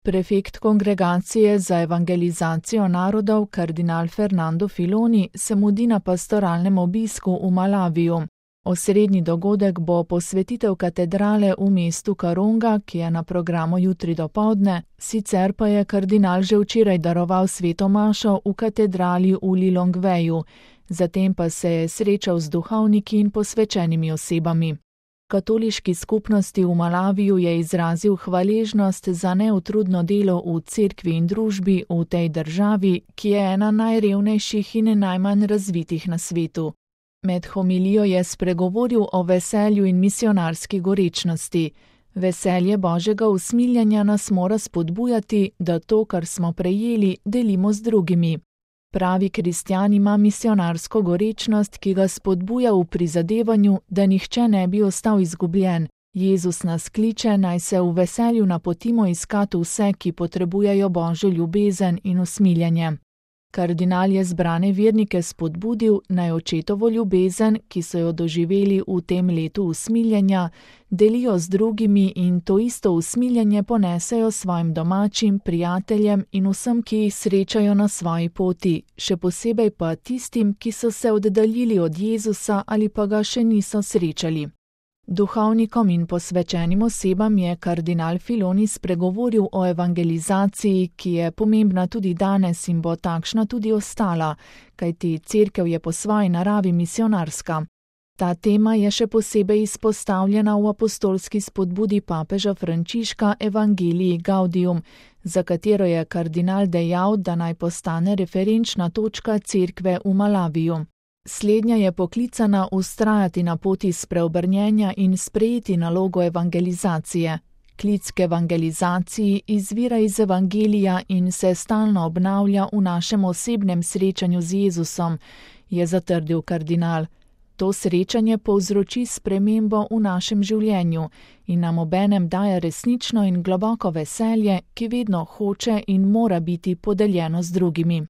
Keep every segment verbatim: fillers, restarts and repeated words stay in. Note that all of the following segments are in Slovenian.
Prefekt Kongregacije za evangelizacijo narodov kardinal Fernando Filoni se mudi na pastoralnem obisku v Malaviju. Osrednji dogodek bo posvetitev katedrale v mestu Karonga, ki je na programu jutri dopoldne, sicer pa je kardinal že včeraj daroval sveto mašo v katedrali v Lilongveju, zatem pa se je srečal z duhovniki in posvečenimi osebami. Katoliški skupnosti v Malaviju je izrazil hvaležnost za neutrudno delo v cerkvi in družbi v tej državi, ki je ena najrevnejših in najmanj razvitih na svetu. Med homilijo je spregovoril o veselju in misionarski gorečnosti. Veselje Božjega usmiljanja nas mora spodbujati, da to, kar smo prejeli, delimo z drugimi. Pravi kristjan ima misionarsko gorečnost, ki ga spodbuja v prizadevanju, da nihče ne bi ostal izgubljen. Jezus nas kliče, naj se v veselju napotimo iskati vse, ki potrebujejo Božjo ljubezen in usmiljanje. Kardinal je zbrane vernike spodbudil, naj očetovo ljubezen, ki so jo doživeli v tem letu usmiljanja, delijo z drugimi in to isto usmiljanje ponesejo svojim domačim, prijateljem in vsem, ki jih srečajo na svoji poti, še posebej pa tistim, ki so se oddaljili od Jezusa ali pa ga še niso srečali. Duhovnikom in posvečenim osebam je kardinal Filoni spregovoril o evangelizaciji, ki je pomembna tudi danes in bo takšna tudi ostala, kajti cerkev je po svoji naravi misionarska. Ta tema je še posebej izpostavljena v apostolski spodbudi papeža Frančiška Evangelii Gaudium, za katero je kardinal dejal, da naj postane referenčna točka cerkve v Malaviju. Slednja je poklicana vztrajati na poti spreobrnjenja in sprejeti nalogo evangelizacije. Klic k evangelizaciji izvira iz Evangelija in se stalno obnavlja v našem osebnem srečanju z Jezusom, je zatrdil kardinal. To srečanje povzroči spremembo v našem življenju in nam obenem daje resnično in globoko veselje, ki vedno hoče in mora biti podeljeno z drugimi.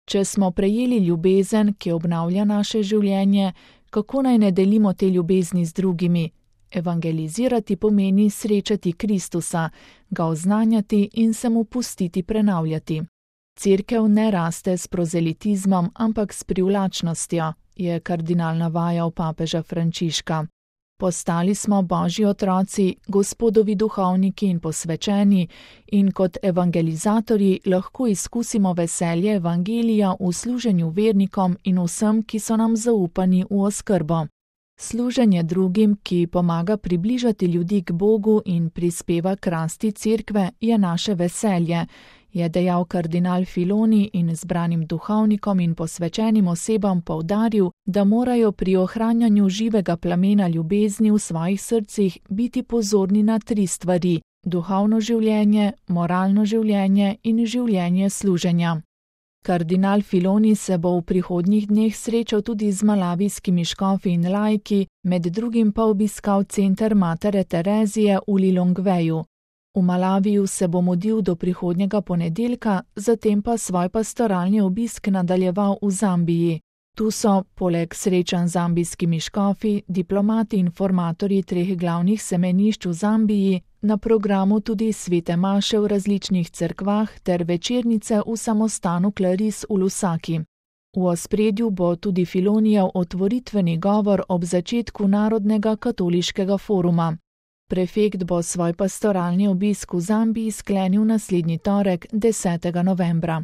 Če smo prejeli ljubezen, ki obnavlja naše življenje, kako naj ne delimo te ljubezni z drugimi? Evangelizirati pomeni srečati Kristusa, ga oznanjati in se mu pustiti prenavljati. Cerkev ne raste s prozelitizmom, ampak s privlačnostjo, je kardinal navajal papeža Frančiška. Postali smo Božji otroci, Gospodovi duhovniki in posvečeni in kot evangelizatorji lahko izkusimo veselje evangelija v služenju vernikom in vsem, ki so nam zaupani v oskrbo. Služenje drugim, ki pomaga približati ljudi k Bogu in prispeva k rasti cerkve, je naše veselje, je dejal kardinal Filoni in zbranim duhovnikom in posvečenim osebam poudaril, da morajo pri ohranjanju živega plamena ljubezni v svojih srcih biti pozorni na tri stvari: duhovno življenje, moralno življenje in življenje služenja. Kardinal Filoni se bo v prihodnjih dneh srečal tudi z malavijskimi škofi in laiki, med drugim pa obiskal center Matere Terezije v Lilongveju. V Malaviju se bo mudil do prihodnjega ponedeljka, zatem pa svoj pastoralni obisk nadaljeval v Zambiji. Tu so, poleg srečanj z zambijskimi škofi, diplomati in formatorji treh glavnih semenišč v Zambiji, na programu tudi svete maše v različnih cerkvah ter večernice v samostanu Claris v Lusaki. V ospredju bo tudi Filonijev otvoritveni govor ob začetku Narodnega katoliškega foruma. Prefekt bo svoj pastoralni obisk v Zambiji sklenil naslednji torek, desetega novembra.